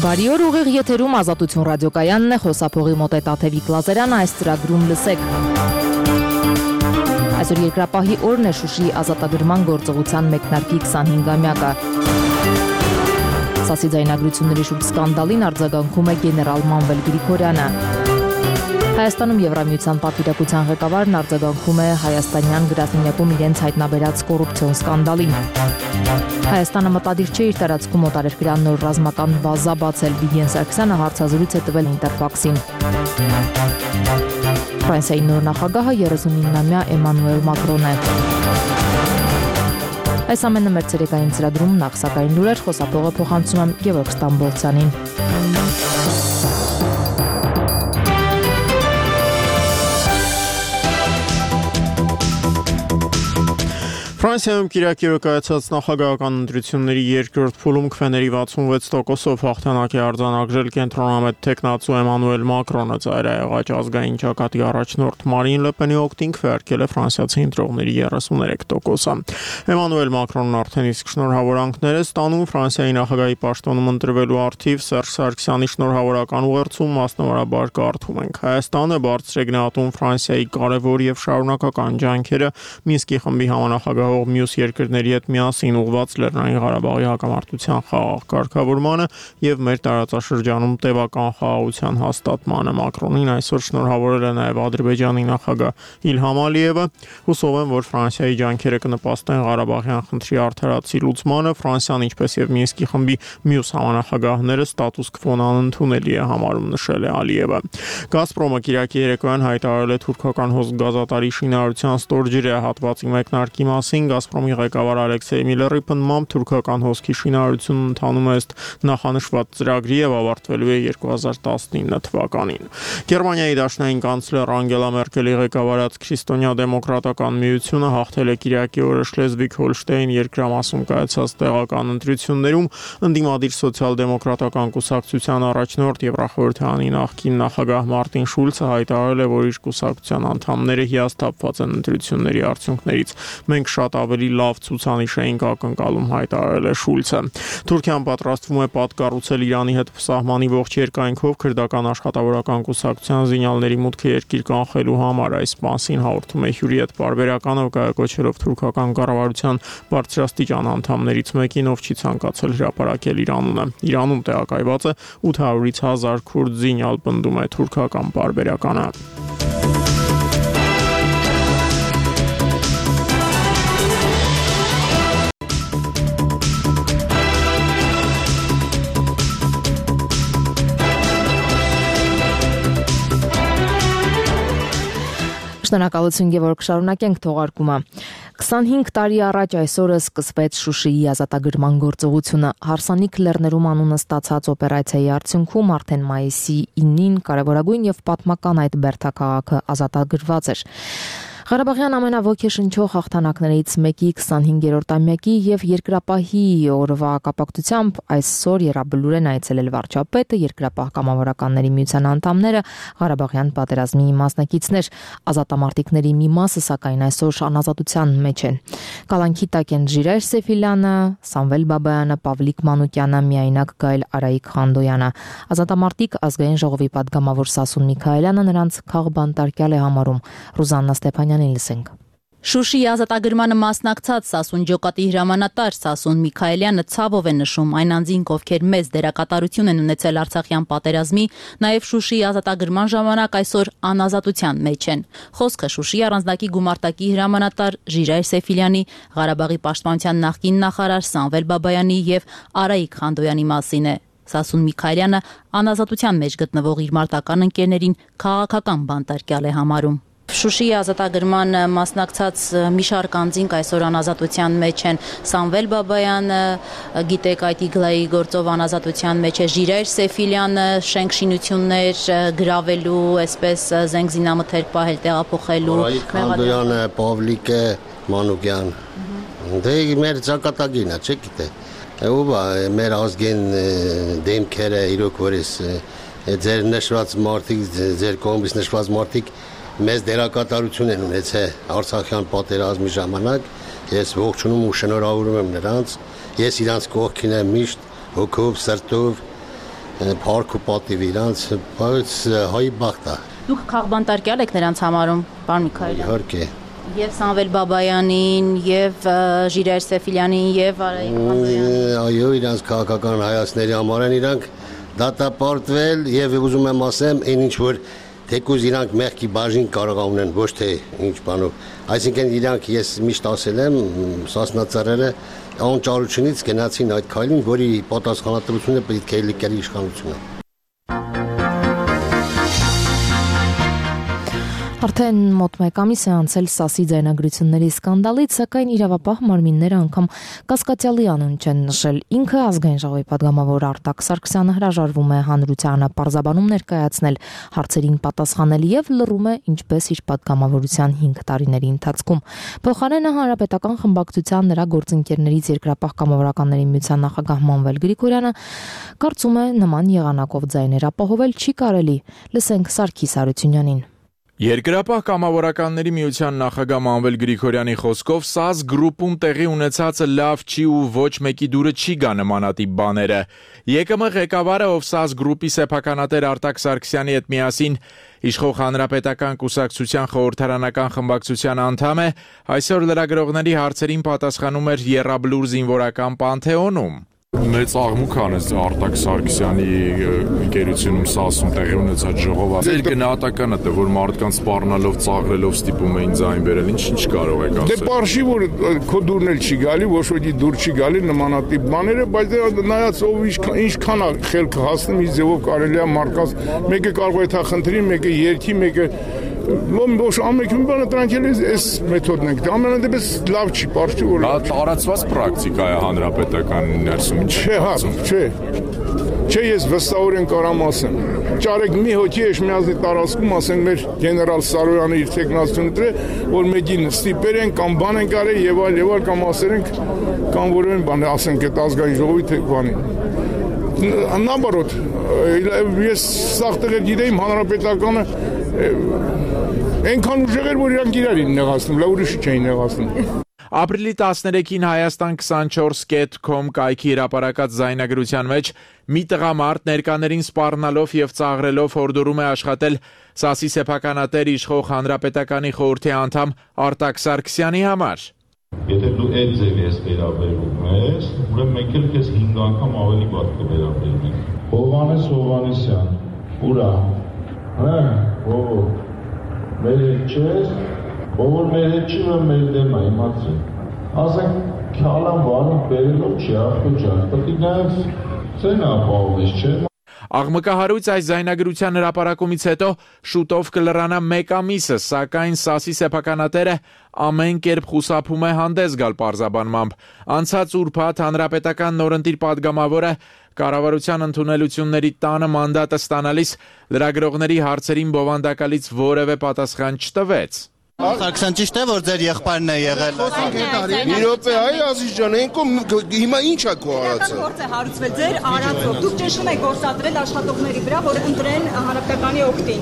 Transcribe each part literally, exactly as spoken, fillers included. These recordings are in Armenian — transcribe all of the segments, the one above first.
Բարի օր, ուղիղ եթերում Ազատություն ռադիոկայանն է, խոսափողի մոտ է Տաթևիկ Լազարյանը, այս ծրագրում լսեք։ Այսօր երկրապահի օրն է, Շուշիի ազատագրման գործողության մեկնարկի քսանհինգամյակը։ Սասի ձայնագրությունների շուրջ սկանդալին արձագանքում է գեներալ Մանվել Գրիգորյանը։ Հայաստանում Եվրամիության պատվիրակության ղեկավարն արձագանքում է հայաստանյան գրասենյակում իրենց հայտնաբերած կոռուպցիոն սկանդալին։ Հայաստանը մտադիր չէ իր տարածքում օտարերկրյա նոր ռազմական բազա բացել, Վիգեն Սարգսյանը հարցազրույց է տվել Ինտերֆաքսին։ Ֆրանսիայի նոր նախագահը երեսունինամյա Էմանուել Մակրոն է։ Այս ամենը մեր ցերեկային ծրագրում նախ սակայն լուրեր, խոսափողը փոխանցում եմ Գևորգ Ստամբոլցյանին։ Ֆրանսիայում կիրակի օրը կայացած նախագահական ընտրությունների երկրորդ փուլում քվեների վաթսունվեց տոկոսով հաղթանակ է արձանագրել կենտրոնամետ թեկնածու Էմանուել Մակրոնը, ծայրահեղաճ ազգային ճակատի առաջնորդ Մարին Լը Պենի օգտին քվեարկել է ֆրանսիացի ընտրողների երեսուներեք տոկոսը։ Էմանուել Մակրոնն արդեն իսկ շնորհավորանքներ է ստանում Ֆրանսիայի նախագահի պաշտոնում ընտրվելու առթիվ Սերժ Սարգսյանի շնորհավորական ուղերձում մասնավորաբար կարդում ենք. Հայաստանը բարձր է գնահատում Ֆրանսիայի կարևոր եւ շարունակական ջանքերը Մինսկի խմբի համանախագահ մյուս երկրների հետ միասին ուղղված Լեռնային Ղարաբաղի հակամարտության խաղաղ կարգավորմանը եւ մեր տարածաշրջանում տևական խաղաղության հաստատմանը։ Մակրոնին այսօր շնորհավորել է նաեւ Ադրբեջանի նախագահ Իլհամ Ալիևը։ Հուսով եմ, որ Ֆրանսիայի ջանքերը կնպաստեն Ղարաբաղյան խնդրի արդարացի լուծմանը։ Ֆրանսիան, ինչպես եւ Մինսկի խմբի մյուս համանախագահները ստատուս քվոն անընդունելի է համարում, նշել է Ալիևը։ Գազպրոմը կիրակի երեկոյան հայտարարել է թուրքական հոսք-գազատարի շինարարության ստորջրյա հատվածի մեկնարկի մասին։ Գազպրոմի ղեկավար Ալեքսեյ Միլլերի պնդմամբ թուրքական հոսքի շինարարությունն ընթանում է ըստ նախանշված ծրագրի եւ ավարտվելու է երկու հազար տասնինը թվականին։ Գերմանիայի դաշնային կանցլեր Անգելա Մերկելի ղեկավարած Քրիստոնյա դեմոկրատական միությունը հաղթել է կիրակի օրը Շլեզվիգ-Հոլշտեյն երկրամասում կայացած տեղական ընտրություններում, ընդդիմադիր սոցիալ-դեմոկրատական կուսակցության առաջնորդ Եվրախորհրդանի նախկին նախագահ Մարտին Շուլցը հայտարարել է, որ իր կուսակցության անդամները հիասթափված են ընտրությունների արդյունքներից։ Մենք շատ ավելի լավ ցուցանիշ էինք ակնկալում, հայտարարել է Շուլցը։ Թուրքիան պատրաստվում է պատկառուցել Իրանի հետ սահմանի ողջ երկայնքով քրդական աշխատավորական կուսակցության զինյալների մուտքը երկիր կանխելու համար։ Այս մասին հաղորդում է Հյուրիետ պարբերականը, կայակոչելով թուրքական կառավարության բարձրաստիճան անդամներից մեկին, ով չի ցանկացել հրապարակել իր անունը։ Իրանում տեղակայված է ութ հարյուրից հազար քուրդ զինյալ, պնդում է թուրքական պարբերականը։ Շնորհակալություն Գևորգ, շարունակենք թողարկումը։ քսանհինգ տարի առաջ այսօրը սկսվեց Շուշիի ազատագրման գործողությունը։ Հարսանիք լեռներում անունը ստացած օպերացիայի արդյունքում արդեն մայիսի ինին կարևորագույն եւ պատմական այդ բերդաքաղաքը ազատագրված էր։ Ղարաբաղյան ամենաոգեշնչող հաղթանակներից մեկի քսանհինգերորդ ամյակի եւ երկրապահի օրվա կապակցությամբ այսօր Եռաբլուր են այցելել վարչապետը, երկրապահ կամավորականների միության անդամները, Ղարաբաղյան պատերազմի մասնակիցներ։ Ազատամարտիկների մի մասը սակայն այսօր անազատության մեջ են։ Կալանքի տակ են Ժիրայր Սեֆիլյանը, Սամվել Բաբայանը, Պավլիկ Մանուկյանը, միայնակ Գայլ Արայիկ Խանդոյանը։ Ազատամարտիկ ազգային ժողովի պատգամավոր Սասուն Միքայելյանը նրանց քաղբանտարկյալ է համարում։ Ռուզաննա Ստեփանյանին լսենք։ Շուշիի ազատագրմանը մասնակցած Սասուն ջոկատի հրամանատար Սասուն Միքայելյանը ցավով է նշում այն անձինք, ովքեր մեծ դերակատարություն են ունեցել Արցախյան պատերազմի, նաև Շուշիի ազատագրման ժամանակ այսօր անազատության մեջ են։ Խոսքը Շուշիի առանձնակի գումարտակի հրամանատար Ժիրայր Սեֆիլյանի, Ղարաբաղի պաշտպանության նախկին նախարար Սամվել Բաբայանի եւ Արայիկ Խանդոյանի մասին է։ Սասուն Միքայելյանը անազատության մեջ գտնվող իր մարտական ընկերներին քաղաքական բանտարկյալ է համարում։ Շուշիի ազատագրման մասնակցած մի շարք անձինք այսօր անազատության մեջ են։ Սամվել Բաբայանը, գիտեք, այդ իգլայի գործով անազատության մեջ է, Ժիրայր Սեֆիլյանը, շենք շինություններ գրավելու, այսպես զենք զինամթերք պահել, տեղափոխելու։ Արայիկ Խանդոյանը, Պավլիկը, Մանուկյան։ Դե մեր ճակատագինը, չէ՞ գիտե։ Ու մեր ազգին դեմքերը իրոք որից ձեր նշված մարդիկ, ձեր կողմից նշված մարդիկ մեծ դերակատարություն են ունեցել Արցախյան պատերազմի ժամանակ։ Ես ողջունում ու շնորհավորում եմ նրանց։ Ես իրանց կողքին եմ միշտ հոգով, սրտով Փառք ու պատիվ իրանց, բայց հայի բախտա։ Դուք քաղբանտարկյալ եք նրանց համարում, պարոն Միքայելյան։ Իհարկե։ Եվ Սամվել Բաբայանին, եւ Ժիրայր Սեֆիլյանին, եւ Արայիկ Խանոյանին։ Այո, իրանց քաղաքական հայացքների համար են իրանք դատապարտվել եւ ուզում եմ ասեմ, այն ինչ որ թեկուզ իրանք մեղքի բաժին կարող ունեն, ոչ թե ինչ բանով։ Այսինքն իրանք ես միշտ ասել եմ, Սասնացարերը անճարությունից գնացին այդ քայլին, որի պատասխանատվությունը պետք է լիքել իշխանությունը։ Արդեն մոտ մեկ ամիս է անցել Սասի ձայնագրությունների սկանդալից, սակայն իրավապահ մարմինները անգամ կասկածյալի անուն չեն նշել։ Ինքը ազգային ժողովի պատգամավոր Արտակ Սարգսյանը հրաժարվում է հանրությանը պարզաբանում ներկայացնել, հարցերին պատասխանել եւ լռում է ինչպես իր պատգամավորության հինգ տարիների ընթացքում։ Փոխարենը հանրապետական խմբակցության նրա գործընկերներից երկրապահ կամավորականների միության նախագահ Մանվել Գրիգորյանը կարծում է նման եղանակով ձայներ ապահովել չի կարելի։ Լսենք Սարգիս Հարությունյանին։ Երկրապահ կամավորականների միության նախագահ Մանվել Գրիգորյանի խոսքով ՍԱԶ գրուպում տեղի ունեցածը լավ չի ու ոչ մեկի դուրը չի գա նմանատիպ բաները։ ԵԿՄ ղեկավարը, ով ՍԱԶ գրուպի սեփականատեր Արտակ Սարգսյանի հետ միասին իշխող հանրապետական կուսակցության խորհրդարանական խմբակցության անդամ է, այսօր լրագրողների հարցերին պատասխանում էր Եռաբլուր զինվորական Պանթեոնում։ Մեծ աղմուկ անեց Արտակ Սարգսյանի ընկերությունում Սասում տեղի ունեցած ժողովը։ Ձեր գնահատականը թե որ մարդկանց սպառնալով, ծաղրելով ստիպում էին ձայն բերել, ինչ ինչ կարող եք ասել։ Դե բարշի որ քո դուրն էլ չի գալի, ոչ ոքի դուր չի գալի նմանատիպ բաները, բայց նայած ով ինչքան է խելքը հասնում, ինչ ձևով կարելի է մարդկանց մեկը կարող է թա խնդրի, մեկը երկի, մեկը Ոչ ամենքին բանը դրանք էլ էս մեթոդն ենք։ Ամենադեպս լավ չի, բարդ չի որ։ Դա տարածված պրակտիկա է հանրապետական ներսում։ Չէ, հա, չէ։ Չէ, ես վստահորեն կարամ ասեմ։ Ճարեք մի հոգի Էշմիածնի տարածքում, ասենք մեր գեներալ Սարոյանը իր տեխնացիոնը դրե, որ մեկին ստիպեր են կամ բան են կարել եւ այլ եւ այլ կամ ասեր ենք կամ որևէ բան ասենք այդ ազգային ժողովի թե բանին։ Наоборот, ես սաղ տեղեր գիտեիմ հանրապետականը Այնքան ուժեղ էր, որ իրանք իրարին նեղացնում, լավ ուրիշը չէին նեղացնում։ Ապրիլի տասներեքին Հայաստան twenty-four dot com կայքի հրապարակած զայնագրության մեջ մի տղամարդ ներկաներին սպառնալով եւ ծաղրելով հորդորում է աշխատել ՍԱՍ-ի սեփականատեր իշխող հանրապետականի խորհրդի անդամ Արտակ Սարգսյանի համար։ Եթե դու այդ ձևի ես վերաբերվում ես, ուրեմն մենք էլ քեզ հինգ անգամ ավելի վատ կվերաբերվենք։ Հովհաննես Հովհաննիսյան, ուրա, հա, ո՞վ մեր հետ չես, ով մեր հետ չի, որ մեր դեմ է, իմացի։ Ասենք, քալան վարում բերելով չի, աղբո ջան, պետք է նայած ծեն ապահովես, չէ՞։ Աղմկահարույց այս զայնագրության հրապարակումից հետո շուտով կլրանա մեկ ամիսը, սակայն ՍԱՍ-ի սեփականատերը ամեն կերպ խուսափում է հանդես գալ պարզաբանմամբ։ Անցած ուրբաթ հանրապետական նորընտիր պատգամավորը կառավարության ընդունելությունների տանը մանդատը ստանալիս լրագրողների հարցերին բովանդակալից որևէ պատասխան չտվեց։ Սարգսյան ճիշտ է, որ ձեր եղբայրն է եղել։ Մի րոպե, այ Ազիզ ջան, այնքան հիմա ի՞նչ է քո արածը։ Գործ է հարուցվել ձեր արածով։ Դուք ճնշում եք գործադրել աշխատողների վրա, որ ընտրեն հանրապետականի օգտին։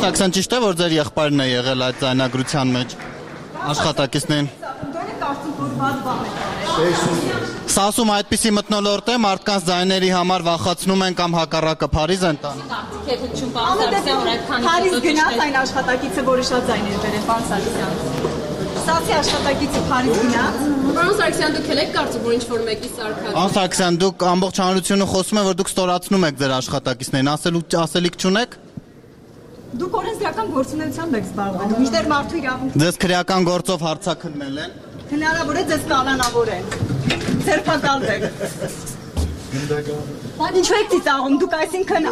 Սարգսյան ճիշտ է, որ ձեր եղբայրն է եղել այդ ձայնագրության մեջ աշխատակիցներին։ Դուք կարծում որ բաց բան եք։ ՍԱՍ-ում այդպիսի մթնոլորտ է, մարդկանց ձայների համար վախացնում են կամ հակառակը Փարիզ են տանում։ Փարիզ գնաց այն աշխատակիցը, որը շատ ձայներ բերել, պարոն Սարգսյան։ ՍԱՍ-ի աշխատակիցը Փարիզ գնաց։ Պարոն Սարգսյան, դուք եք կարծում, որ ինչ-որ մեկի սարքած։ Պարոն Սարգսյան, դուք ամբողջ հանրությունը խոսում են, որ դուք ստորացնում եք ձեր աշխատակիցներին, ասելու ասելիք չունեք։ Դուք օրենսդրական գործունեությամբ եք զբաղվել, մինչդեռ մարդու իրավունք։ Ձեզ քրեական գործով հարցաքննել են։ Հնարավոր է ձեզ կալանավորեն։ Ձերբակալ եք։ Ինչու եք ծիծաղում, դուք այսինքն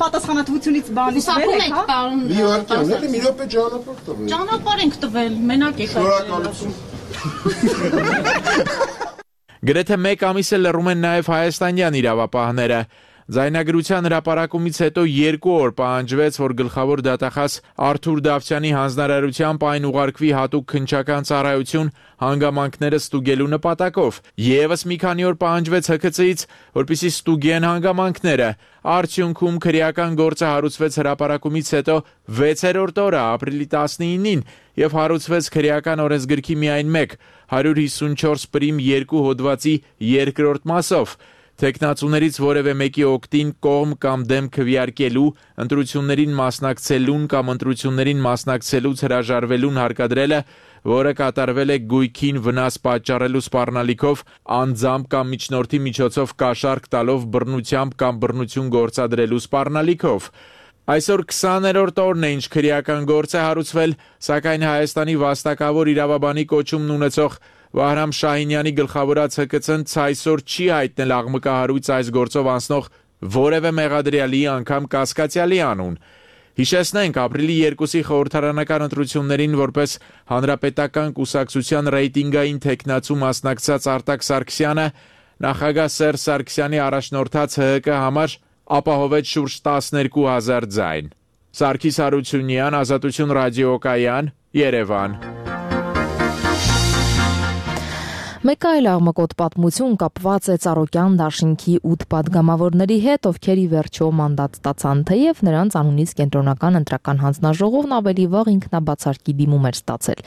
պատասխանատվությունից բանից վեր եք, հա։ Մի վարքյան, մի րոպե ճանապարհ տվեք։ Ճանապարհ ենք տվել, մենակ եք։ Շնորհակալություն։ Գրեթե մեկ ամիս է լռում են նաև հայաստանյան իրավապահները։ Ձայնագրության հրապարակումից հետո երկու օր պահանջվեց, որ գլխավոր դատախազ Արթուր Դավթյանի հանձնարարությամբ այն ուղարկվի հատուկ քննչական ծառայություն հանգամանքները ստուգելու նպատակով։ Եվս մի քանի օր պահանջվեց Հ K C-ից, որպեսզի ստուգեն հանգամանքները։ Արդյունքում քրեական գործը հարուցվեց հրապարակումից հետո վեցերորդ օրը ապրիլի տասնինին եւ հարուցվեց քրեական օրենսգրքի միայն մեկ one fifty-four պրիմ երկու հոդվածի երկրորդ մասով։ Տեխնացուներից որևէ մեկի օգտին կողմ կամ դեմ քվեարկելու, ընտրություններին մասնակցելուն կամ ընտրություններին մասնակցելուց հրաժարվելուն հարկադրելը, որը կատարվել է գույքին վնաս պատճառելու սպառնալիքով, անձամբ կամ միջնորդի միջոցով կաշառք տալով բռնությամբ կամ բռնություն գործադրելու սպառնալիքով։ Այսօր քսաներորդ օրն է, ինչ քրեական գործ է հարուցվել, սակայն Հայաստանի վաստակավոր իրավաբանի կոչումն ունեցող Վահրամ Շահինյանի գլխավորած Հ K C-ն ցայսօր չի հայտնել աղմկահարույց այս գործով անցնող որևէ մեղադրյալի անգամ կասկածյալի անուն։ Հիշեցնենք, ապրիլի երկուսի խորհրդարանական ընտրություններին որպես հանրապետական կուսակցության ռեյտինգային թեկնածու մասնակցած Արտակ Սարգսյանը նախագահ Սերժ Սարգսյանի առաջնորդած Հ K համար ապահովեց շուրջ տասներկու հազար ձայն։ Սարգիս Հարությունյան, Ազատություն ռադիոկայան, Երևան։ Մեկ այլ աղմկոտ պատմություն կապված է Ծառուկյան դաշինքի ութ պատգամավորների հետ, ովքեր ի վերջո մանդատ ստացան, թեև նրանց անունից կենտրոնական ընտրական հանձնաժողովն ավելի վաղ ինքնաբացարկի դիմում էր ստացել։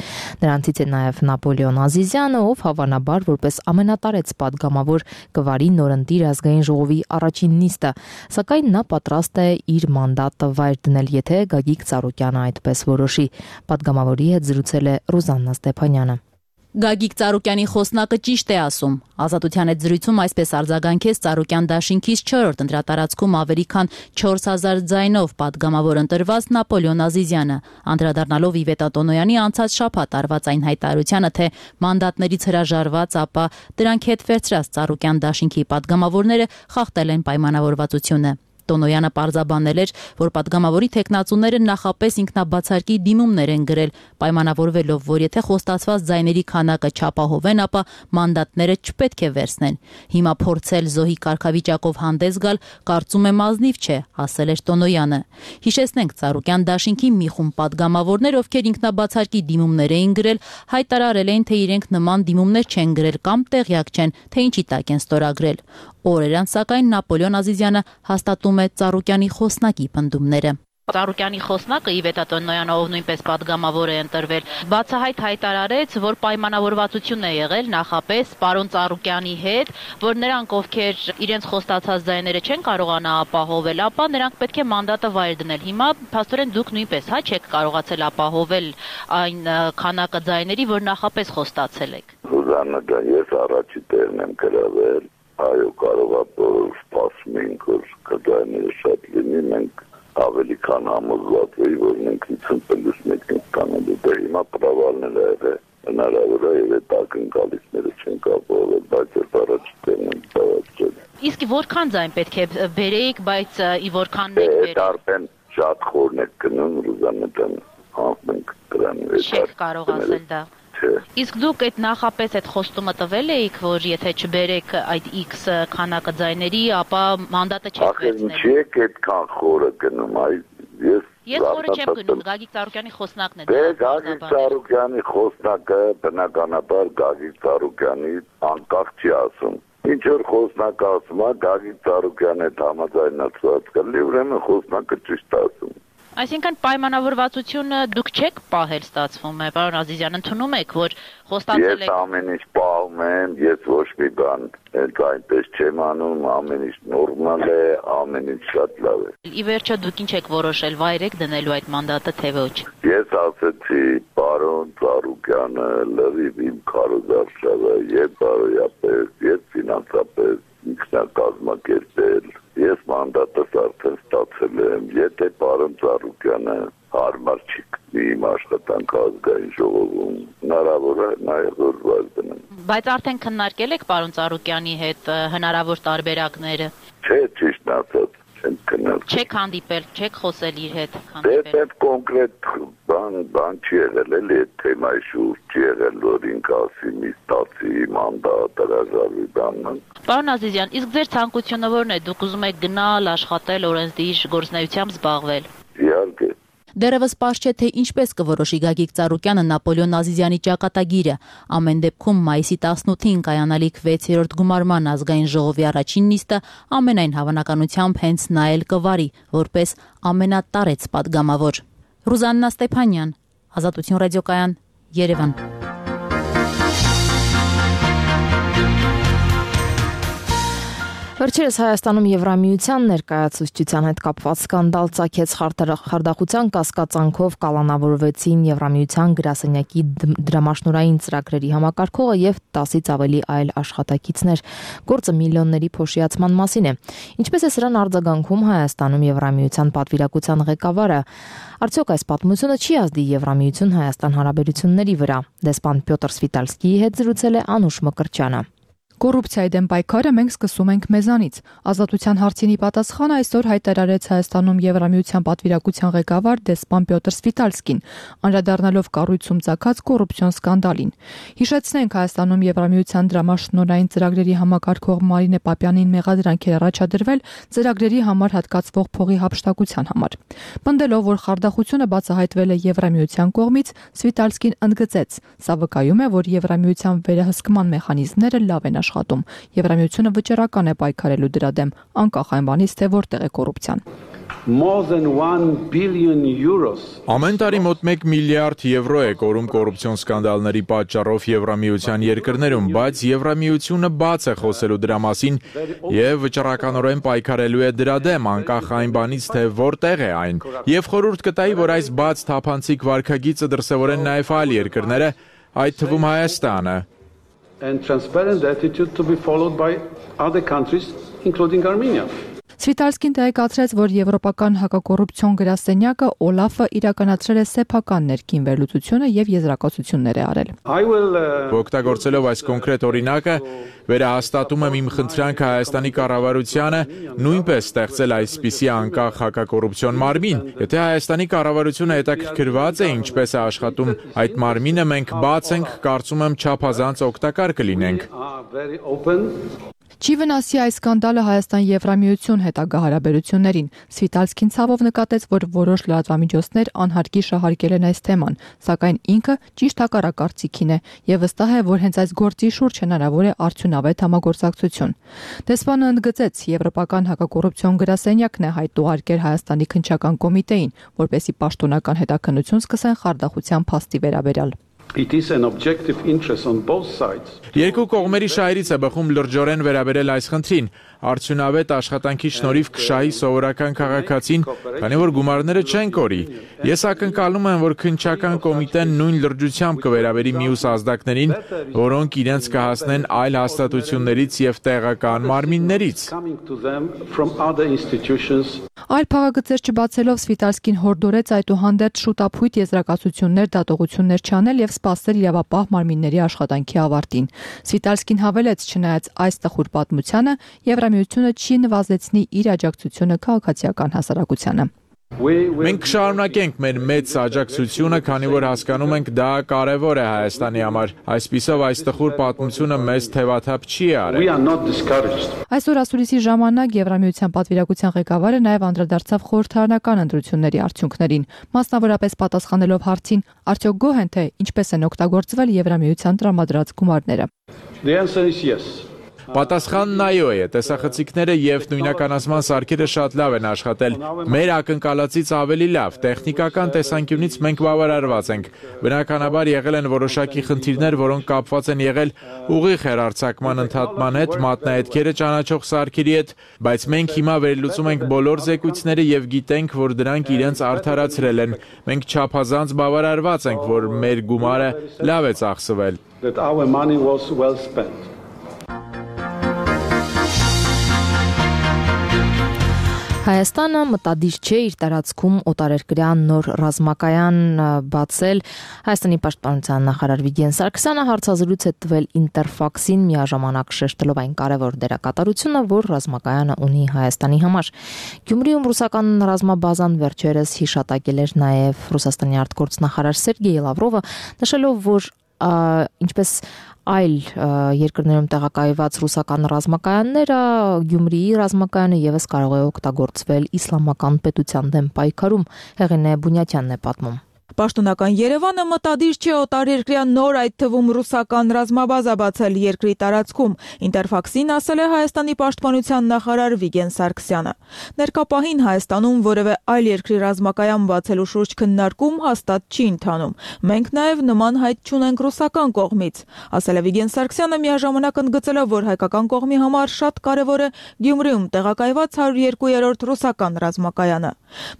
Նրանցից է նաև Նապոլեոն Ազիզյանը, ով հավանաբար որպես ամենատարեց պատգամավոր կվարի նորընտիր ազգային ժողովի առաջին նիստը, սակայն նա պատրաստ է իր մանդատը վայր դնել, եթե Գագիկ Ծառուկյանը այդպես որոշի։ Պատգամավորի հետ զրուցել է Ռուզաննա Ստեփանյանը։ Գագիկ Ծառուկյանի խոսնակը ճիշտ է ասում։ Ազատության հետ զրույցում այսպես արձագանքեց Ծառուկյան դաշինքից չորրորդ ընտրատարածքում ավելի քան չորս հազար ձայնով պատգամավոր ընտրված Նապոլեոն Ազիզյանը, անդրադառնալով Իվետա Տոնոյանի անցած շաբաթ արված այն հայտարարությանը, թե մանդատներից հրաժարված, ապա դրանք հետ վերցրած Ծառուկյան դաշինքի պատգամավորները խախտել են պայմանավորվածությունը։ Տոնոյանը պարզաբանել էր, որ պատգամավորի թեկնածուները նախապես ինքնաբացարկի դիմումներ են գրել, պայմանավորվելով, որ եթե խոստացված ձայների քանակը չապահովեն, ապա մանդատները չպետք է վերցնեն։ Հիմա փորձել զոհի կարգավիճակով հանդես գալ, կարծում եմ ազնիվ չէ, ասել էր Տոնոյանը։ Հիշեցնենք, Ծառուկյան դաշինքի մի խումբ պատգամավորներ, ովքեր ինքնաբացարկի դիմումներ էին գրել, հայտարարել էին, թե իրենք նման դիմումներ չեն գրել կամ տեղյակ չեն, թե ինչի տակ են ստորագրել։ Օրեր անց սակայն Նապոլեոն Ազիզյանը հաստատում է Ծառուկյանի խոսնակի պնդումները։ Ծառուկյանի խոսնակը Իվետա Տոնոյանը, ով նույնպես պատգամավոր է ընտրվել, բացահայտ հայտարարեց, որ պայմանավորվածություն է եղել նախապես պարոն Ծառուկյանի հետ, որ նրանք, ովքեր իրենց խոստացած ձայները չեն կարողանա ապահովել, ապա նրանք պետք է մանդատը վայր դնել։ Հիմա փաստորեն դուք նույնպես հա չեք կարողացել ապահովել այն քանակը ձայների, որ նախապես խոստացել եք։ Ռուզաննա ջան, ես առաջի տեղն եմ գրավել, այո, կարող է որ սպասում ենք, որ կդայները շատ լինի, մենք ավելի քան համոզված էի, որ մենք հիսուն պլյուս մեկ ենք կանելու, դե հիմա պրավալն էլ է եղել, հնարավոր է եւ այդ ակնկալիքները չեն կապվել, բայց ես առաջ տեղն եմ ծավալել։ Իսկ որքան ձայն պետք է բերեիք, բայց ի որքան եք բերել։ Արդեն շատ խորն եք գնում, Ռուզաննա ջան, անք դրան է։ Չեք կարող ասել դա։ Իսկ դուք այդ նախապես այդ խոստումը տվել էիք, որ եթե չբերեք այդ X քանակը ձայների, ապա մանդատը չեք վերցնել։ Ախր չի եք այդքան խորը գնում, այ ես Ես խորը չեմ գնում, Գագիկ Ծառուկյանի խոսնակն է։ Դե Գագիկ Ծառուկյանի խոսնակը բնականաբար Գագիկ Ծառուկյանի անկախ չի ասում։ Ինչ որ խոսնակը ասում է, Գագիկ Ծառուկյանը համաձայնացված կլինի, ուրեմն խոսնակը ճիշտ ասում։ Այսինքն պայմանավորվածությունը դուք չեք պահել, ստացվում է, պարոն Ազիզյան, ընդունում եք, որ խոստացել եք։ Ես ամեն ինչ պահում եմ, ես ոչ մի բան այնպես չեմ անում, ամեն ինչ նորմալ է, ամեն ինչ շատ լավ է։ Ի վերջո դուք ինչ եք որոշել, վայր եք դնելու այդ մանդատը, թե ոչ։ Ես ասեցի, պարոն Ծառուկյանը լրիվ իմ քարոզարշավը, եւ բարոյապես, եւ ֆինանսապես ինքնակազմակերպել։ Ես մանդատս արդեն ստացել եմ, եթե պարոն Ծառուկյանը հարմար չի գտնի իմ աշխատանքը ազգային ժողովում, հնարավոր է նաև որ վայր դնեմ։ Բայց արդեն քննարկել եք պարոն Ծառուկյանի հետ հնարավոր տարբերակները։ Չէ, ճիշտ ասած, չեմ քննարկել։ Չեք հանդիպել, չեք խոսել իր հետ հանդիպել։ Դե կոնկրետ բան բան չի եղել, էլի այդ թեմայի շուրջ չի եղել, որ ինքը ասի մի ստացի մանդատ հրաժարվի բանն։ Պարոն Ազիզյան, իսկ ձեր ցանկությունը ո՞րն է։ Դուք ուզում եք գնալ, աշխատել, օրենսդիր գործունեությամբ զբաղվել։ Իհարկե։ Դեռևս պարզ չէ, թե ինչպես կորոշի Գագիկ Ծառուկյանը Նապոլեոն Ազիզյանի ճակատագիրը։ Ամեն դեպքում մայիսի տասնութին կայանալիք վեցերորդ գումարման ազգային ժողովի առաջին նիստը ամենայն հավանականությամբ հենց նա էլ կվարի, որպես ամենատարեց պատգամավոր։ Ռուզաննա Ստեփանյան, Ազատություն ռադիոկայան, Երևան։ Վերջերս Հայաստանում Եվրամիության ներկայացուցչության հետ կապված սկանդալ ծագեց խարդախության կասկածանքով կալանավորվեցին Եվրամիության գրասենյակի դրամաշնորհային ծրագրերի համակարգողը եւ տասից ավելի այլ աշխատակիցներ։ Գործը միլիոնների փոշիացման մասին է։ Ինչպես է սրան արձագանքում Հայաստանում Եվրամիության պատվիրակության ղեկավարը, արդյոք այս պատմությունը չի ազդի Եվրամիություն-Հայաստան հարաբերությունների վրա։ Դեսպան Պյոտր Սվիտալսկիի հետ զրուցել է Անուշ Մկրտչյանը։ Կոռուպցիայի դեմ պայքարը մենք սկսում ենք մեզանից։ Ազատության հարցինի պատասխանը այսօր հայտարարեց Հայաստանում Եվրամիության պատվիրակության ղեկավար դեսպան Պյոտր Սվիտալսկին, անդրադառնալով կառույցում ծագած կոռուպցիոն սկանդալին։ Հիշեցնենք, Հայաստանում Եվրամիության դրամաշնորհային ծրագրերի համակարգող Մարինե Պապյանին մեղադրանք էր առաջադրվել ծրագրերի համար հատկացվող փողի հափշտակության համար։ Պնդելով, որ խարդախությունը բացահայտվել է Եվրամիության կողմից, Սվիտալսկին ընդգծեց. «Սա վկայում է, որ Եվրամիության վերահսկման մեխանիզմները լավ են աշխատում։ Եվրամիությունը վճռական է պայքարելու դրա դեմ, անկախ այն բանից, թե որտեղ է կոռուպցիան»։ Ամեն տարի մոտ մեկ միլիարդ եվրո է կորում կոռուպցիոն սկանդալների պատճառով Եվրամիության երկրներում, բայց Եվրամիությունը բաց է խոսելու դրա մասին եւ վճռականորեն պայքարելու է դրա դեմ, անկախ այն բանից, թե որտեղ է այն։ Եվ խորհուրդ կտայի, որ այս բաց թափանցիկ վարքագիծը դրսևորեն նաեւ այլ երկրները, այդ թվում Հայաստանը։ And transparent attitude to be followed by other countries, including Armenia. Սվիտալսկին տեղեկացրեց, որ Եվրոպական հակակոռուպցիոն գրասենյակը Օլաֆը իրականացրել է սեփական ներքին վերլուծությունը եւ եզրակացություններ է արել։ Օգտագործելով այս կոնկրետ օրինակը, վերահաստատում եմ իմ խնդրանքը Հայաստանի կառավարությանը նույնպես ստեղծել այսպիսի անկախ հակակոռուպցիոն մարմին։ Եթե Հայաստանի կառավարությունը հետաքրքրված է ինչպես է աշխատում այդ մարմինը, մենք բաց ենք, կարծում եմ չափազանց օգտակար կլինենք։ Չի վնասի այս սկանդալը Հայաստան-Եվրամիություն հետագա հարաբերություններին։ Սվիտալսկին ցավով նկատեց, որ որոշ լրատվամիջոցներ անհարկի շահարկել են այս թեման, սակայն ինքը ճիշտ հակառակարծիքին է եւ վստահ է, որ հենց այս գործի շուրջ հնարավոր է արդյունավետ համագործակցություն։ Դեսպանը ընդգծեց, Եվրոպական հակակոռուպցիոն գրասենյակն է հայտ ուղարկել Հայաստանի քննչական կոմիտեին, որպեսզի պաշտոնական հետաքննություն սկսեն խարդախության փաստի վերաբերյալ։ It is an objective interest on both sides. Երկու կողմերի շահերից է բխում լրջորեն վերաբերել այս խնդրին։ Արդյունավետ աշխատանքի շնորհիվ կշահի սովորական քաղաքացին, քանի որ գումարները չեն կորի։ Ես ակնկալում եմ, որ քննչական կոմիտեն նույն լրջությամբ կվերաբերի մյուս ազդակներին, որոնք իրենց կհասնեն այլ հաստատություններից եւ տեղական մարմիններից։ Այլ փաղագծեր չբացելով Սվիտալսկին հորդորեց այդուհանդերձ շուտափույթ եզրակացություններ, դատողություններ չանել եւ սպասել իրավապահ մարմինների աշխատանքի ավարտին։ Սվիտալսկին հավելեց, չնայած այս տխուր պատմությանը, Եվրամիությունը չի նվազեցնի իր աջակցությունը քաղաքացիական հասարակությանը։ Մենք կշարունակենք մեր մեծ աջակցությունը, քանի որ հասկանում ենք դա կարևոր է Հայաստանի համար։ Այսպիսով այս տխուր պատմությունը մեզ թևաթափ չի արել։ Այսօր ասուլիսի ժամանակ Եվրամիության պատվիրակության ղեկավարը նաև անդրադարձավ խորհրդարանական ընտրությունների արդյունքներին, մասնավորապես պատասխանելով հարցին, արդյոք գոհ են թե ինչպես են օգտագործվել Եվրամիության տրամադրած գումարները։ Պատասխանն այո է, տեսախցիկները եւ նույնականացման սարքերը շատ լավ են աշխատել։ Մեր ակնկալածից ավելի լավ, տեխնիկական տեսանկյունից մենք բավարարված ենք։ Բնականաբար եղել են որոշակի խնդիրներ, որոնք կապված են եղել ուղիղ հեռարձակման ընդհատման հետ, մատնահետքերը ճանաչող սարքերի հետ, բայց մենք հիմա վերլուծում ենք բոլոր զեկույցները եւ գիտենք, որ դրանք իրենց արդարացրել են։ Մենք չափազանց բավարարված ենք, որ մեր գումարը լավ է ծախսվել։ Հայաստանը մտադիր չէ իր տարածքում օտարերկրյան նոր ռազմակայան բացել։ Հայաստանի պաշտպանության նախարար Վիգեն Սարգսյանը հարցազրույց է տվել Ինտերֆաքսին, միաժամանակ շեշտելով այն կարևոր դերակատարությունը, որ ռազմակայանը ունի Հայաստանի համար։ Գյումրիում ռուսական ռազմաբազան վերջերս հիշատակել էր նաև Ռուսաստանի արտգործնախարար Սերգեյ Լավրովը, նշելով, որ ինչպես այլ երկրներում տեղակայված ռուսական ռազմակայանները, Գյումրիի ռազմակայանը եւս կարող է օգտագործվել իսլամական պետության դեմ պայքարում։ Հեղինե Բունյատյանն է պատմում։ Պաշտոնական Երևանը մտադիր չէ օտարերկրյա նոր, այդ թվում ռուսական ռազմաբազա բացել երկրի տարածքում, Ինտերֆաքսին ասել է Հայաստանի պաշտպանության նախարար Վիգեն Սարգսյանը։ Ներկա պահին Հայաստանում որևէ այլ երկրի ռազմակայան բացելու շուրջ քննարկում հաստատ չի ընթանում։ Մենք նաև նման հայտ չունենք ռուսական կողմից, ասել է Վիգեն Սարգսյանը, միաժամանակ ընդգծելով, որ հայկական կողմի համար շատ կարևոր է Գյումրիում տեղակայված հարյուր երկու-րդ ռուսական ռազմակայանը։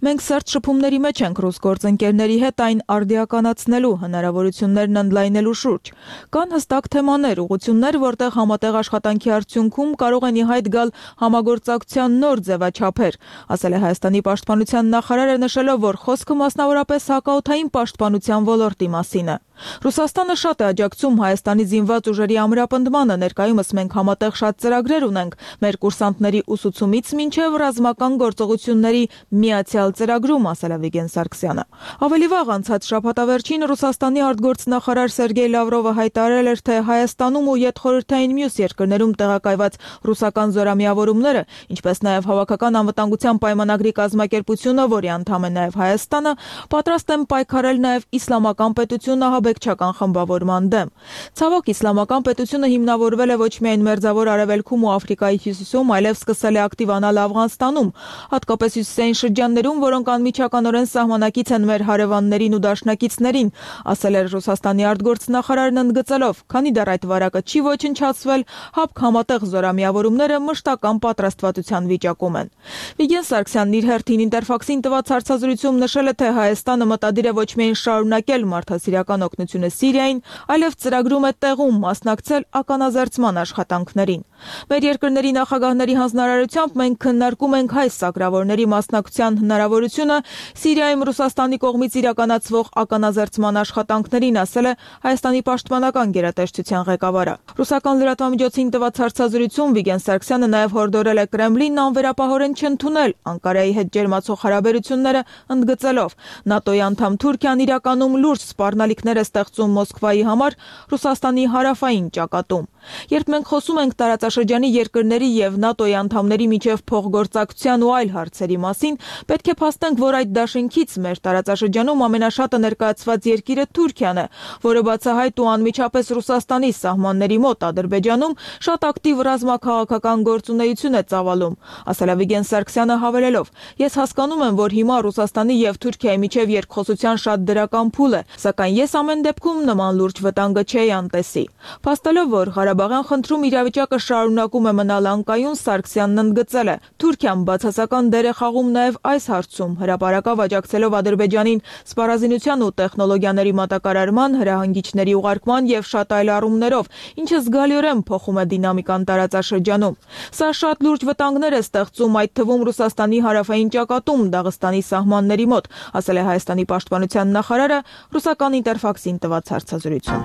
Մենք սերտ շփումների մեջ ենք ռուս գործընկերների հետ այն արդիականացնելու հնարավորություններն ընդլայնելու շուրջ։ Կան հստակ թեմաներ, ուղղություններ, որտեղ համատեղ աշխատանքի արդյունքում կարող են ի հայտ գալ համագործակցության նոր ձևաչափեր, ասել է Հայաստանի պաշտպանության նախարարը, նշելով, որ խոսքը մասնավորապես հակաօդային պաշտպանության ոլորտի մասին է։ Ռուսաստանը շատ է աջակցում Հայաստանի զինված ուժերի ամրապնդմանը, ներկայումս մենք համատեղ շատ ծրագրեր ունենք, մեր կուրսանտների ուսուցումից մինչև ռազմական գործողությունների միացյալ ծրագրում, ասել է Վիգեն Սարգսյանը։ Ավելի վաղ անցած շաբաթավերջին Ռուսաստանի արտգործնախարար Սերգեյ Լավրովը հայտարարել էր, թե Հայաստանում ու յետխորհրդային մյուս երկրներում տեղակայված ռուսական զորամիավորումները, ինչպես նաև Հավաքական անվտանգության պայմանագրի կազմակերպությունը, որի անդամ է նաև Հայաստանը, պատրաստ են պայքարել նաև իսլամական պետությունը ահաբեկչական խմբավորման դեմ։ Ցավոք, իսլամական պետությունը հիմնավորվել է ոչ միայն Մերձավոր Արևելքում ու Աֆրիկայի հյուսիսում, այլև սկսել է ակտիվանալ Աֆղանստանում, հատկապես հյուսիսային շրջաններում, որոնք անմիջականորեն սահմանակից են մեր հարևաններին ու դաշնակիցներին, ասել էր Ռուսաստանի արտգործնախարարն ընդգծելով, քանի դեռ այդ վարակը չի ոչնչացվել, ՀԱՊԿ համատեղ զորամիավորումները մշտական պատրաստվածության վիճակում են։ Վիգեն Սարգսյանն իր հերթին Ինտերֆաքսին տված հարցազրույցում նշել է, թե Հայաստանը մտադիր է ոչ միայն շարունակել մարդասիրական օգնությունը Սիրիային, այլև ծրագրում է տեղում մասնակցել ականազերծման աշխատանքներին։ Մեր երկրների նախագահների հանձնարարությամբ մենք քննարկում ենք հայ սակրավորների մասնակցության հնարավորությունը Սիրիայում Ռուսաստանի կողմից իրականացվող ականազերծման աշխատանքներին, ասել է Հայաստանի պաշտպանական գերատեսչության ղեկավարը։ Ռուսական լրատվամիջոցին տված հարցազրույցում Վիգեն Սարգսյանը նաև հորդորել է Կրեմլինն անվերապահորեն չընդունել Անկարայի հետ ջերմացող հարաբերությունները, ընդգծելով, ՆԱՏՕ-ի անդամ Թուրքիան իրականում լուրջ սպառնալիքներ է ստեղծում Մոսկվայի համար Ռուսաստանի հարավային ճակատում։ Երբ մենք խոսում ենք տարածաշրջանի երկրների եւ ՆԱՏՕ-ի անդամների միջև փոխգործակցության ու այլ հարցերի մասին, պետք է փաստենք, որ այդ դաշինքից մեր տարածաշրջանում ամենաշատը ներկայացված երկիրը Թուրքիան է, որը բացահայտ ու անմիջապես Ռուսաստանի սահմանների մոտ Ադրբեջանում շատ ակտիվ ռազմաքաղաքական գործունեություն է ծավալում, ասել է Վիգեն Սարգսյանը, հավելելով. Ես հասկանում եմ, որ հիմա Ռուսաստանի եւ Թուրքիայի միջև երկխոսության շատ դրական փուլ է, սակայն ես ամեն դեպքում նման լուրջ վտանգը չէի անտեսի։ Փաստելով, որ Ղարաբաղյան խնդրում իրավիճակը շարունակում է մնալ անկայուն, Սարգսյանն ընդգծել է. Թուրքիան բացասական դեր է խաղում նաև այս հարցում, հրապարակավ աջակցելով Ադրբեջանին սպառազինության ու տեխնոլոգիաների մատակարարման, հրահանգիչների ուղարկման եւ շատ այլ առումներով, ինչը զգալիորեն փոխում է դինամիկան տարածաշրջանում։ Սա շատ լուրջ վտանգներ է ստեղծում, այդ թվում Ռուսաստանի հարավային ճակատում, Դաղստանի սահմանների մոտ, ասել է Հայաստանի պաշտպանության նախարարը ռուսական Ինտերֆաքսին տված հարցազրույցում։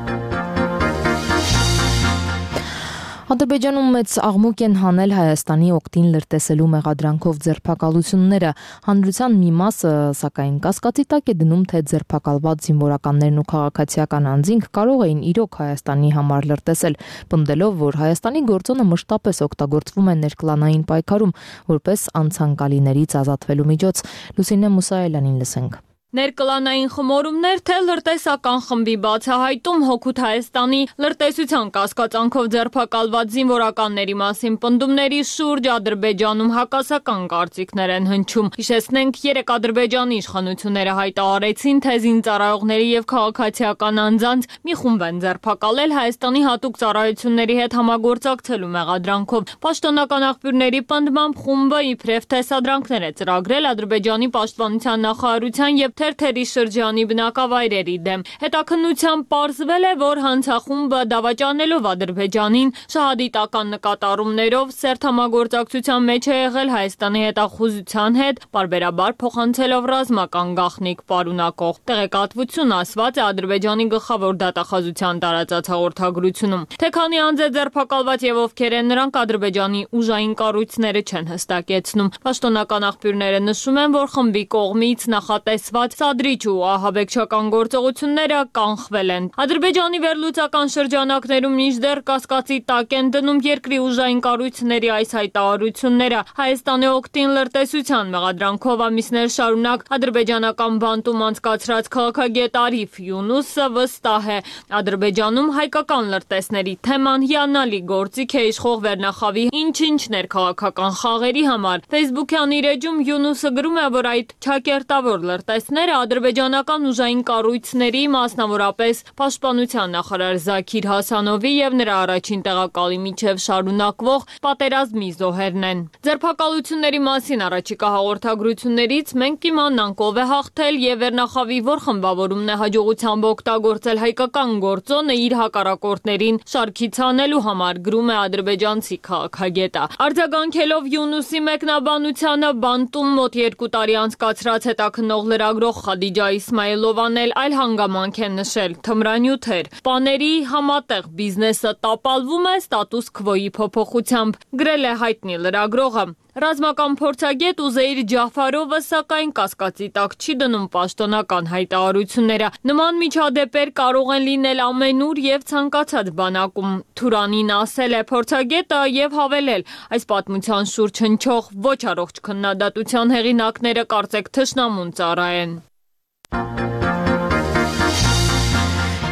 Ադրբեջանում մեծ աղմուկ են հանել Հայաստանի օգտին լրտեսելու մեղադրանքով ձերբակալությունները։ Հանրության մի մասը, սակայն, կասկածի տակ է դնում, թե ձերբակալված զինվորականներն ու քաղաքացիական անձինք կարող էին իրոք Հայաստանի համար լրտեսել, պնդելով, որ Հայաստանի գործոնը մշտապես օգտագործվում է ներկլանային պայքարում, որպես անցանկալիներից ազատվելու միջոց։ Լուսինե Մուսայելյանին լսենք։ Ներկլանային խմորումներ, թե լրտեսական խմբի բացահայտում հօգուտ Հայաստանի լրտեսության կասկածանքով ձերբակալված զինվորականների մասին պնդումների շուրջ Ադրբեջանում հակասական կարծիքներ են հնչում։ Հիշեցնենք, երեկ Ադրբեջանի իշխանությունները հայտարարեցին, թե զինծառայողների եւ քաղաքացիական անձանց մի խումբ են ձերբակալել Հայաստանի հատուկ ծառայությունների հետ համագործակցելու մեղադրանքով։ Պաշտոնական աղբյուրների պնդմամբ խումբը իբրև տեսադրանքներ է ծրագրել Ադրբեջանի պաշտպանության նախարարության եւ թերթերի շրջանի բնակավայրերի դեմ։ Հետաքննությամբ պարզվել է, որ հանցախումբը դավաճանելով Ադրբեջանին շահադիտական նկատառումներով սերտ համագործակցության մեջ է եղել Հայաստանի հետախուզության հետ, պարբերաբար փոխանցելով ռազմական գաղտնիք պարունակող տեղեկատվություն, ասված է Ադրբեջանի գլխավոր դատախազության տարածած հաղորդագրությունում։ Թե քանի անձ է ձերբակալված եւ ովքեր են նրանք, Ադրբեջանի ուժային կառույցները չեն հստակեցնում։ Պաշտոնական աղբյուրները նշում են, որ խմբի կողմից նախատեսված կատարած սադրիչ ու ահաբեկչական գործողությունները կանխվել են։ Ադրբեջանի վերլուծական շրջանակներում մինչդեռ կասկածի տակ են դնում երկրի ուժային կառույցների այս հայտարարությունները։ Հայաստանի օգտին լրտեսության մեղադրանքով ամիսներ շարունակ ադրբեջանական բանտում անցկացրած քաղաքագետ Արիֆ Յունուսը վստահ է, Ադրբեջանում հայկական լրտեսների թեման հիանալի գործիք է իշխող վերնախավի ինչ-ինչ ներքաղաքական խաղերի համար։ Facebook-յան իր էջում Յունուսը գրում է, որ այդ չակերտավոր լրտեսները ադրբեջանական ուժային կառույցների, մասնավորապես Պաշտպանության նախարար Զաքիր Հասանովի եւ նրա առաջին տեղակալի միջև շարունակվող պատերազմի զոհերն են։ Ձերբակալությունների մասին առաջիկա հաղորդագրություններից մենք կիմանանք ով է հաղթել եւ վերնախավի որ խմբավորումն է հաջողությամբ օգտագործել հայկական գործոնը իր հակառակորդներին շարքից հանելու համար, գրում է ադրբեջանցի քաղաքագետը։ Արձագանքելով Յունուսի մեկնաբանությանը բանտում մոտ երկու տարի անցկացրած հետաքննող լրագրող Խադիջա Իսմայելովան էլ այլ հանգամանք է նշել՝ թմրանյութ էր։ Պաների համատեղ բիզնեսը տապալվում է ստատուս քվոյի փոփոխությամբ, գրել է հայտնի լրագրողը։ Ռազմական փորձագետ Ուզեյր Ջաֆարովը սակայն կասկածի տակ չի դնում պաշտոնական հայտարարությունները։ Նման միջադեպեր կարող են լինել ամենուր եւ ցանկացած բանակում։ Թուրանին ասել է փորձագետը եւ հավելել. այս պատմության շուրջ հնչող ոչ առողջ քննադատության հեղինակները կարծեք թշնամուն ծառայեն։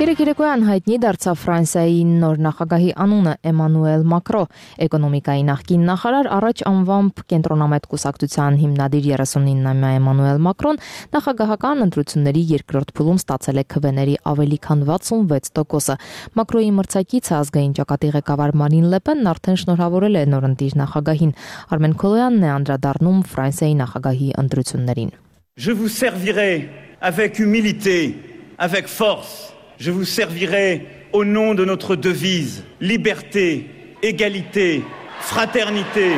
Երեկոյան հայտնի դարձավ Ֆրանսիայի նոր նախագահի անունը Էմանուել Մակրո։ Էկոնոմիկայի նախկին նախարար, առաջ անվամբ կենտրոնամետ կուսակցության հիմնադիր երեսունինամյա Էմանուել Մակրոն նախագահական ընտրությունների երկրորդ փուլում ստացել է քվեների ավելի քան վաթսունվեց տոկոսը։ Մակրոյի մրցակիցը ազգային ճակատի ղեկավար Մարին Լեպենն արդեն շնորհավորել է նորընտիր նախագահին։ Արմեն Քոլոյանն է անդրադառնում Ֆրանսիայի նախագահի ընտրություններին։ Je vous servirai avec humilité, avec force. Je vous servirai au nom de notre devise, liberté, égalité, fraternité.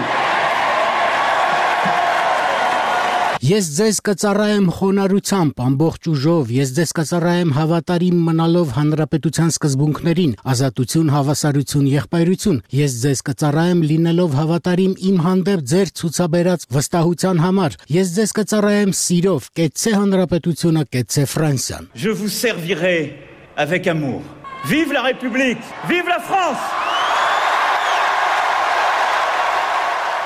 Ես ձեզ կծառայեմ խոնարհությամբ, ամբողջ ուժով, ես ձեզ կծառայեմ հավատարիմ մնալով հանրապետության սկզբունքներին, ազատություն, հավասարություն, եղբայրություն, ես ձեզ կծառայեմ լինելով հավատարիմ իմ հանդեպ ձեր ցուցաբերած վստահության համար, ես ձեզ կծառայեմ սիրով, կեցցե հանրապետությունը, կեցցե Ֆրանսիան։ Je vous servirai avec amour. Vive la République, vive la France!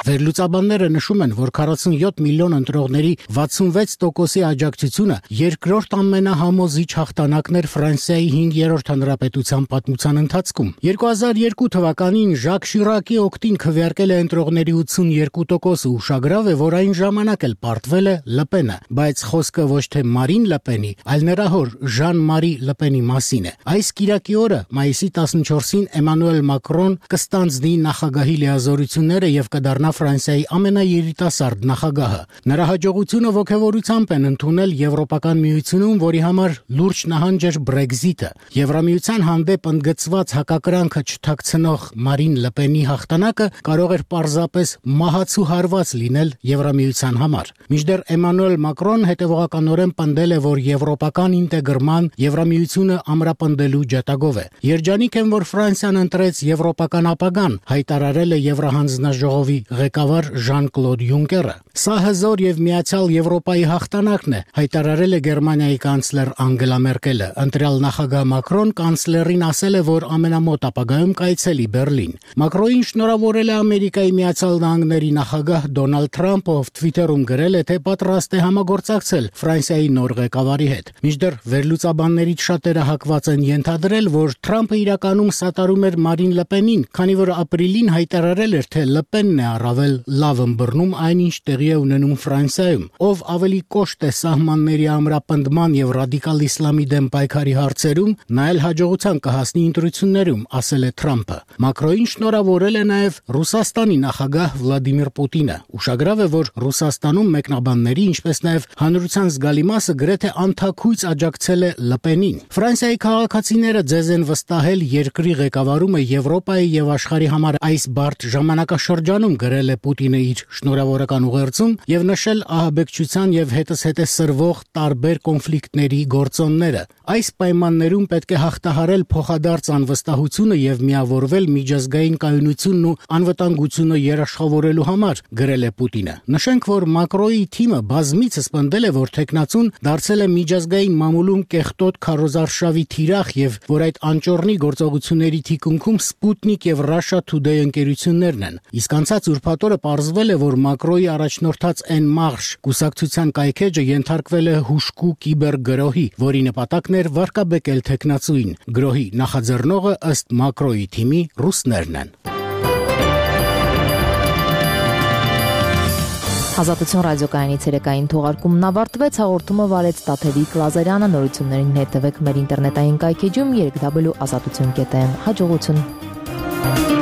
Վերլուծաբանները նշում են, որ քառասունյոթ միլիոն ընտրողների վաթսունվեց տոկոսի աջակցությունը երկրորդ ամենահամոզիչ հաղթանակն էր Ֆրանսիայի հինգերորդ հանրապետության պատմության ընթացքում։ երկու հազար երկու թվականին Ժակ Շիրակի օգտին քվեարկել է ընտրողների ութսունյոթ տոկոսը, ուշագրավ է, որ այն ժամանակ էլ պարտվել է Լպենը, բայց խոսքը ոչ թե Մարին Լպենի, այլ նրա հոր Ժան-Մարի Լպենի մասին է։ Այս կիրակի օրը, մայիսի տասնչորսին, Էմանուել Մակրոն կստանձնի նախագահի լիազորությունները եւ կդառնա Ֆրանսիայի ամենաերիտասարդ նախագահը։ Նրա հաջողությունը ողջավորությամբ են ընդունել Եվրոպական միությունում, որի համար լուրջ նահանջ էր Brexit-ը։ Եվրամիության հանդեպ ընդգծված հակակրանքը չթաքցնող Մարին Լպենի հաղթանակը կարող էր պարզապես մահացու հարված լինել Եվրամիության համար։ Մինչդեռ Էմանուել Մակրոն հետևողականորեն պնդել է, որ եվրոպական ինտեգրման Եվրամիությունը ամրապնդելու ջատագով է։ Երջանիկ են, որ Ֆրանսիան ընտրեց եվրոպական ապագան, հայտարարել է Եվրահանձնաժողովի ղեկավար Ժան-Կլոդ Յունկերը։ Սա հզոր եւ միացյալ Եվրոպայի հաղթանակն է, հայտարարել է Գերմանիայի կանցլեր Անգելա Մերկելը։ Ընտրյալ նախագահ Մակրոն կանցլերին ասել է, որ ամենամոտ ապագայում կայցելի Բերլին։ Մակրոին շնորհավորել է Ամերիկայի Միացյալ Նահանգների նախագահ Դոնալդ Թրամփը, ով Twitter-ում գրել է, թե պատրաստ է համագործակցել Ֆրանսիայի նոր ղեկավարի հետ։ Մինչդեռ վերլուծաբաններից շատերը հակված են ենթադրել, որ Թրամփը իրականում սատարում էր Մարին Լպենին, քանի որ ապրիլին հայտարարել էր, թե Լպենն է առավել լավ ըմբռնում այնինչ տեղի է ունենում Ֆրանսիայում, ով ավելի կոշտ է սահմանների ամրապնդման եւ ռադիկալ իսլամի դեմ պայքարի հարցերում, նա էլ հաջողության կհասնի ընտրություններում, ասել է Թրամփը։ Մակրոին շնորհավորել է նաեւ Ռուսաստանի նախագահ Վլադիմիր Պուտինը։ Ուշագրավ է, որ Ռուսաստանում մեկնաբանների, ինչպես նաեւ հանրության զգալի մասը գրեթե անթաքույց աջակցել է Լպենին։ Ֆրանսիայի քաղաքացիները ձեզ են վստահել երկրի ղեկավարումը Եվրոպայի եւ աշխարհի համար այս բարդ ժամանակաշրջանում, գրել գրել է Պուտինը իր շնորհավորական ուղերձում եւ նշել ահաբեկչության եւ հետզհետե սրվող տարբեր կոնֆլիկտների գործոնները։ Այս պայմաններում պետք է հաղթահարել փոխադարձ անվստահությունը եւ միավորվել միջազգային կայունությունն ու անվտանգությունը երաշխավորելու համար, գրել է Պուտինը։ Նշենք, որ Մակրոյի թիմը բազմիցս պնդել է, որ տեխնացուն դարձել է միջազգային մամուլում կեղտոտ քարոզարշավի թիրախ եւ որ այդ անճոռնի գործողությունների թիկունքում Sputnik եւ Russia Today ընկերություններն են։ Իսկ անցած ուրբաթ օրը պարզվել է, որ Մակրոյի առաջնորդած En Marche կուսակցության կայքեջը ենթարկվել է հուշկու կիբերգրոհի, որի նպատակն էր վարկաբեկել տեխնացուին։ Գրոհի նախաձեռնողը ըստ Մակրոյի թիմի ռուսներն են։ Ազատություն ռադիոկայանի ցերեկային թողարկումն ավարտվեց, հաղորդումը վարեց Տաթևիկ Լազարյանը, նորություններին հետևեք մեր ինտերնետային կայքեջում երեք w ազատություն կետ am։ Հաջողություն։